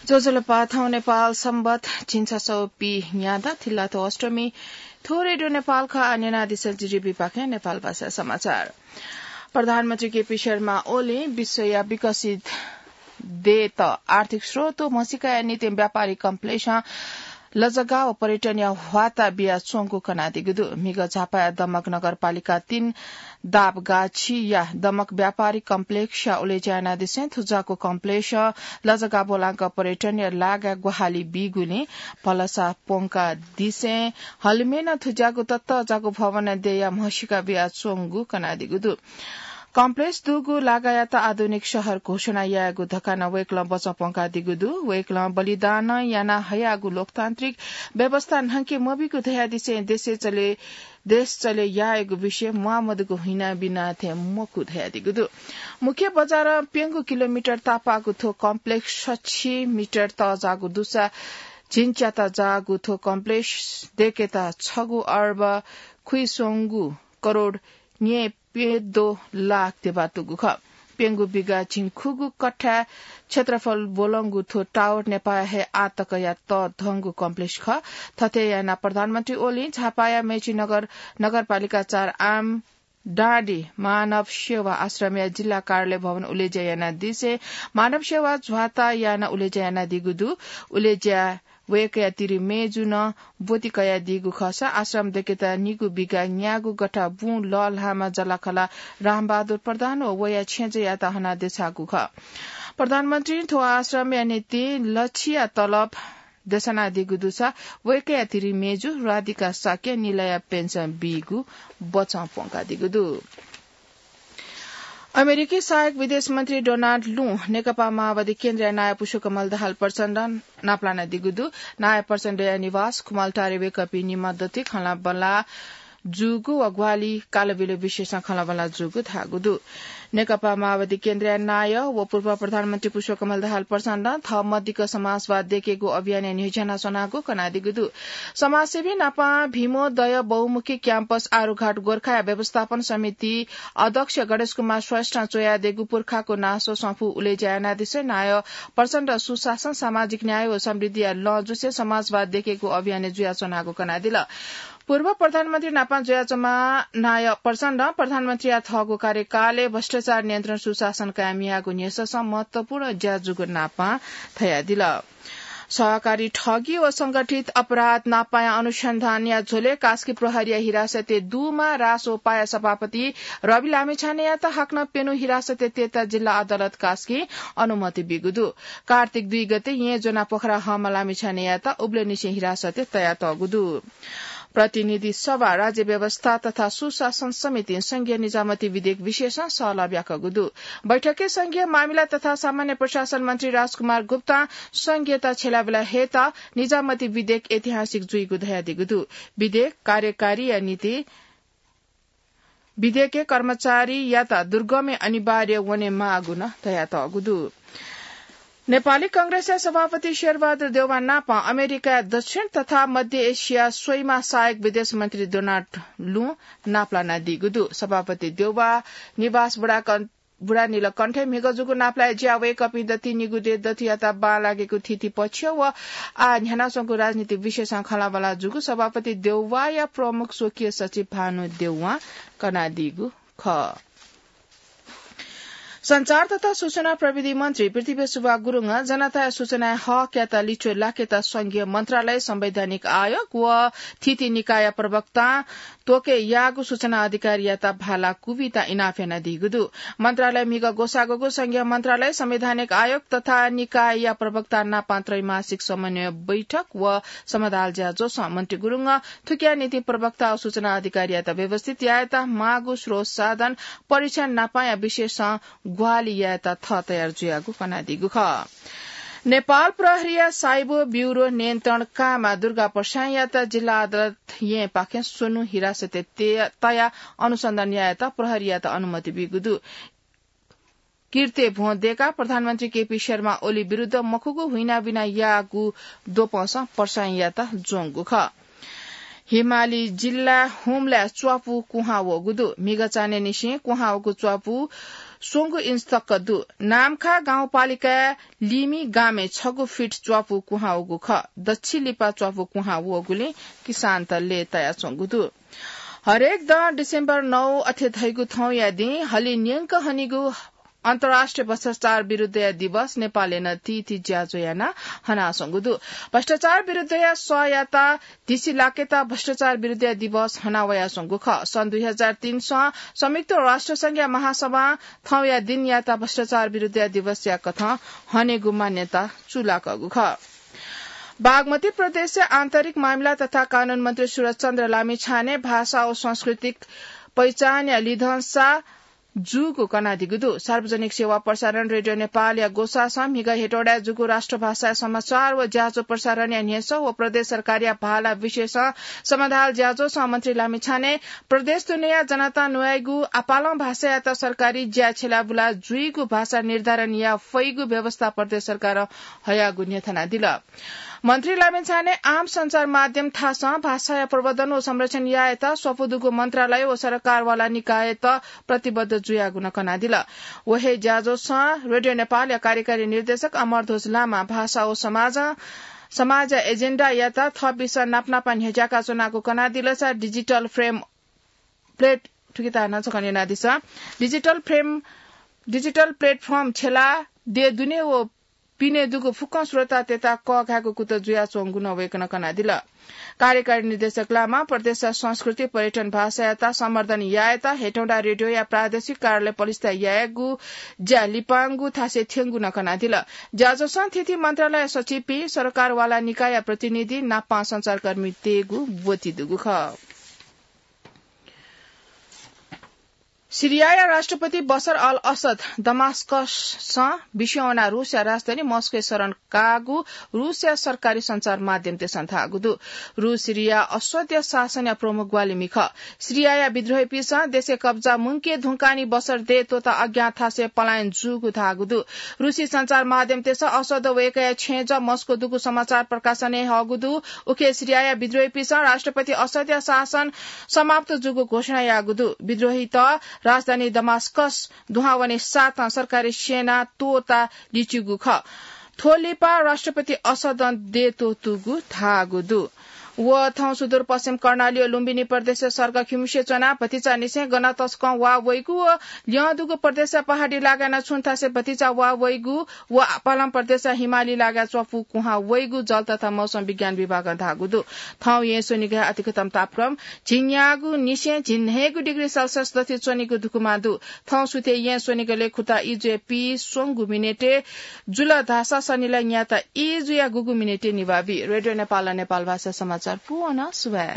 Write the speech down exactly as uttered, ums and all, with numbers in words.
ज्वजलपा, थौं नेपाल संवत झिंछसः पीन्यादँ, थिल्लाथ्व अष्टमी। थ्व रेडियो नेपाल खः। आः न्यनादिसँ जिरिबीपाखें नेपाल भाषा समाचार। प्रधानमन्त्री केपी शर्मा ओलीं विश्वया विकसित देय्‌त आर्थिक स्रोत व म्हसीकाया निंतिं व्यापारिक कम्प्लेक्सं लजगाः व पर्यटनया ह्वाता बियाच्वंगु कनादीगु दु। म्हिगः झापाया दमक नगरपालिका तीन दाबगाछिया दमक व्यापारिक कम्प्लेक्सया उलेज्या यानादिसें थुज्याःगु कम्प्लेक्सं लजगाः ब्वलांक पर्यटनया लागाय् ग्वाहालि बीगुलिं भलसा प्वंकादिसें हलिमय् नं थुज्याःगु ततःजाःगु भवनया देय्‌या म्हसीका बियाच्वंगु कनादीगु दु। कम्प्लेक्स दुगु लागायात आधुनिक शहर घोषणा यायेगु धकाः नं वय्‌कलं बचं प्वंकादीगु दु। वय्‌कलं बलिदान याना हयागु लोकतान्त्रिक व्यवस्था न्हंके मबीगु धयादिसें देशय् चले, देश चले यायेगु विषय म्वाःमदुगु हुइनाबिना थें मखु धयादीगु दु। मुख्य बजारं प्यंगू किलोमिटर तापाःगु थ्व कम्प्लेक्स सछि मिटर तःजाःगु दुसा झिंच्याताजाःगु थ्व कम्प्लेक्स दय्‌केत छगू अर्ब खुइस्वंगू करोड न्यय्‌प्यद्वः लाख ध्यबा दुगु खः। प्यंगू बिघा झिंखुगू कठ्ठा क्षेत्रफल ब्वलंगु थ्व टावर नेपाःया हे आःतकया तःधंगु कम्प्लेक्स खः। थथे यानाः प्रधानमन्त्री ओलीं झापाया मेचीनगर नगरपालिका चार आम डाँडी मानव सेवा आश्रमया जिल्ला कार्यालय भवन उलेज्या यानादिसें मानव सेवा झ्वाता यानाः उलेज्या यानादीगु दु। उलेज्या वय्‌कःया तिरिमय्‌जुं ब्वति कयादीगु खःसा आश्रम दय्‌केत निगू बिघा न्यागू गथा बुँ लःल्हाःम्ह जःलाखःला रामबहादुर प्रधान व वया छेँजःयात हनाः देछाःगु खः। प्रधानमन्त्रीं थ्व आश्रमया निंतिं लछिया तलब देछानादीगु दुसा वय्‌कःया तिरिमय्‌जु राधिका शाक्यं निलया पेन्सन बीगु बचं प्वंकादीगु दु। अमेरिकी सहायक विदेश मन्त्री डोनाल्ड लुं नेकपा माओवादी केन्द्रया नायः पुष्पकमल दाहाल प्रचण्डं नापलानादीगु दु। नायः प्रचण्डया निवास खुमलटारे वय्‌कःपिं निम्ह दथुइ खँल्हाबल्हा जूगु व ग्वाहालि कालबिल विषयसं खँल्हाबल्हा जूगु धाःगु दु। नेकपा माओवादी केन्द्रया नायः व पूर्व प्रधानमन्त्री पुष्पकमल दाहाल प्रचण्डं थः मदिक्क समाजवाद दय्‌केगु अभियानय् न्ह्यज्यानाच्वनागु कनादीगु दु। समाजसेवी नापं भीमोदय बहुमुखी क्याम्पस आरुघाट गोर्खाया व्यवस्थापन समिति अध्यक्ष गणेश कुमार श्रेष्ठं च्वयादीगु पुर्खाको नासो सँफू उलेज्या यानादिसें नायः प्रचण्डं सुशासन, सामाजिक न्याय व समृद्धिया लँ जुसें समाजवाद दय्‌केगु अभियानय् जुयाच्वनागु कनादिल। पूर्व प्रधानमन्त्री नापं जुयाच्वंम्ह नायः प्रचण्डं प्रधानमन्त्रीया थःगु कार्यकालय् भ्रष्टाचार नियन्त्रण सुशासन कायम यायेगु न्ह्यससं महत्वपूर्ण ज्या जूगु नापं धयादिल। सहकारी ठगी व संगठित अपराध नापाया अनुसन्धानया झ्वलय् कास्की प्रहरीया हिरासतय् दुम्ह रासोपाया सभापति रवि लामिछानेयात हाकनं प्यन्हु हिरासतय् तयेत जिल्ला अदालत कास्कीं अनुमति बीगु दु। कार्तिक दुई गते येँ ज्वनाः पोखरा हःम्ह लामिछानेयात उबलय्‌निसें हिरासतय् तयातःगु दु। प्रतिनिधि सभा, राज्य व्यवस्था तथा सुशासन समितिं संघीय निजामती विधेयक विषयसं सहलह ब्याकःगु दु। बैठकय् संघीय मामिला तथा सामान्य प्रशासन मन्त्री राजकुमार गुप्तां संघीयता छ्यलाबेला हयेत निजामती विधेयक ऐतिहासिक जुइगु धयादीगु दु। विधेयक कार्यकारीया निंतिं विधेयकय् कर्मचारीयात दुर्गमय् अनिवार्य वनेमाःगु नं धयातःगु दु। नेपाली कांग्रेसया सभापति शेरबहादुर देउवा नाप अमेरिकाया दक्षिण तथा मध्य एसिया स्वइम्ह सहायक विदेश मन्त्री डोनाल्ड लुं नापलानादीगु दु। सभापति देउवा निवास बुढाकं-, बुढानीलकण्ठय् म्हिगः जूगु नापलाये ज्याय् वय्‌कःपिं दथुइ निगू देय् दथुयात बांलाकेगु थीथी पक्ष व आः न्ह्यानाच्वंगु राजनीतिक विषयसं खँल्हाबल्हा जूगु सभापति देउवाया प्रमुख स्वकीय सचिव भानु देउवां कनादीगु खः। सञ्चार तथा सूचना प्रविधि मन्त्री पृथ्वीसुभा गुरुङं जनताया सूचनाया हकयात लिच्वः लाकेत संघीय मन्त्रालय, संवैधानिक आयोग व थीथी निकायया प्रवक्तां त्वःके याःगु सूचना अधिकारीयात भाला कुबिता इनाप यानादीगु दु। मन्त्रालय म्हिगः ग्वसाःग्वःगु संघीय मन्त्रालय, संवैधानिक आयोग तथा निकायया प्रवक्ता नाप त्रैमासिक समन्वय बैठक व समदाल ज्याझ्वलय् मन्त्री गुरुङं थुकिया निंतिं प्रवक्ता व सूचना अधिकारीयात व्यवस्थित यायेत माःगु स्रोत साधन परीक्षण नापया विषयसं ग्वाहालि यायेत थः तयार जुयागु कनादीगु खः। नेपाल प्रहरीया साइबर ब्युरो नियन्त्रण काय्म्ह दुर्गा प्रसाईंयात जिल्ला अदालतं येँपाखें स्वन्हु हिरासतय् तया अनुसन्धान यायेत प्रहरीयात अनुमति बीगु दु। किर्ते भ्वं दय्काः प्रधानमन्त्री केपी शर्मा ओली विरुद्ध मखुगु हुइनाबिना याःगु द्वपंसं प्रसाईंयात ज्वंगु खः। हिमाली जिल्ला हुम्लाय् च्वापु कुहां वःगु दु। म्हिगः चान्हय्‌निसें कुहां वःगु च्वापु स्वंगू इन्च तक दु। नाम्खा गाउँपालिकाय् लिमि गामय् छगू फिट च्वापु कुहां वःगु खः। दच्छि लिपा च्वापु कुहां वःगुलिं किसानत लय् तयाच्वंगु दु। हरेक दँ डिसेम्बर नौ अथे धइगु थौंया दिं हलिं न्यंक हनीगु अन्तर्राष्ट्रिय भ्रष्टाचार विरुद्धया दिवस नेपालय् नं तीती ज्याझ्वः यानाः हनाच्वंगु दु। भ्रष्टाचार विरुद्धया सःयात धिसिलाकेत भ्रष्टाचार विरुद्धया दिवस हनावयाच्वंगु खः। सन् दुई हजार तीन सं संयुक्त राष्ट्र संघया महासभां थौंया दिनयात भ्रष्टाचार विरुद्धया दिवसया कथं हनेगु मान्यता चूलाकःगु खः। बागमती प्रदेशया आन्तरिक मामिला तथा कानून मन्त्री सुरज चन्द्र लामिछाने भाषा व सांस्कृतिक पहिचानया लिधंसा जूगु कनादीगु दु। सार्वजनिक सेवा प्रसारण रेडियो नेपालया ग्वसाःसं म्हिगः हेटौडाय् जूगु राष्ट्रभाषाया समाचार व ज्याझ्वः प्रसारणया न्ह्यसः व प्रदेश सरकारया भाला विषयसं समाधान ज्याझ्वःसं मन्त्री लामिछाने प्रदेश दुनेया जनतां न्वयाइगु आपालं भाषायात सरकारी ज्या छ्यलाबुला जुइगु भाषा निर्धारण याये फइगु व्यवस्था प्रदेश सरकारं हयागु न्ह्यथनादिल। मन्त्री लामिछाने आम सञ्चार माध्यम थासं भाषाया प्रवर्धन व संरक्षण यायेत स्वापू दुगु मन्त्रालय व सरकारवाला निकायत प्रतिबद्ध जुयागु नं कनादिल। व हे ज्याझ्वःसं रेडियो नेपालया कार्यकारी निर्देशक अमरध्वज लामां भाषा व समाज, समाजया एजेन्डायात थःपिन्सं नापनापं न्ह्यज्याका च्वनागु कनादिलसा डिजिटल फ्रेम प्लेट, थुकिता नं छकः न्यनादिसँ। डिजिटल फ्रेम, डिजिटल प्लेटफर्म छ्यलाः देय् दुने व पिने दुगु फुक्कं स्रोततय्त कःघायेगु कुतः जुयाच्वंगु नं वय्कलं कनादिल। कार्यकारी निर्देशक लामां प्रदेशया संस्कृति, पर्यटन, भाषायात संवर्धन यायेत हेटौंडा रेडियोया प्रादेशिक कार्यालय पलिस्था यायेगु ज्या लिपांगु थासय् थ्यंगु नं कनादिल। ज्याझ्वःसं थीथी मन्त्रालय सचिवपिं, सरकारवाला निकायया प्रतिनिधि नापं सञ्चारकर्मीतय्गु ब्वति दुगु खः। सिरियाया राष्ट्रपति बशर अल असद दमास्कसं बिस्युं वनाः रूसया राजधानी मस्कोय् शरण काःगु रूसया सरकारी सञ्चार माध्यमतय्सं धाःगु दु। रूस सिरिया असदया शासनया प्रमुख ग्वाहालिमि खः। सिरियाया विद्रोहीपिन्सं देशय् कब्जा मुंके धुंकाः निं बशर देय् त्वःताः अज्ञात थासय् पलायन जूगु धाःगु दु। रूसी सञ्चार माध्यमतय्सं असद व वय्कःया छेँजः मस्को दुगु समाचार प्रकाशन यानाहःगु दु। उखे सिरियाया विद्रोहीपिन्सं राष्ट्रपति असदया शासन समाप्त जूगु घोषणा याःगु दु। विद्रोहीत राजधानी दमास्कस दुहां वने साथं सरकारी सेना त्वःताः लिच्यूगु खः। थ्व लिपा राष्ट्रपति असदं देय् त्वःतूगु धाःगु दु। व थौं सुदूरपश्चिम कर्णाली व लुम्बिनी प्रदेशया सर्ग खिमुसे च्वनाः भतिचांनिसें गन तसकं वा वइगु व ल्यं दुगु प्रदेशया पहाडी लागाय् नं छुं थासय् भतिचा वा वइगु व आपालं प्रदेशया हिमाली लागाय् च्वापु कुहां वइगु जल तथा मौसम विज्ञान विभागं धाःगु दु। थौं येँ स्वनिगलय् अधिकतम तापक्रम झिंन्यागू निसें झिंन्हय्गू डिग्री सेल्सियस दथुइ च्वनीगु धुकुमा दु। थौं सुथय् येँ स्वनिगलय् खुता ई जुया पीस्वंगू मिनेटय् जुल धाःसा सनिलय् न्याता ई जुया गुगू मिनेटय् निभाः बी। रेडियो नेपालं नेपाल भाषा समाचार पूवं सुभाय्।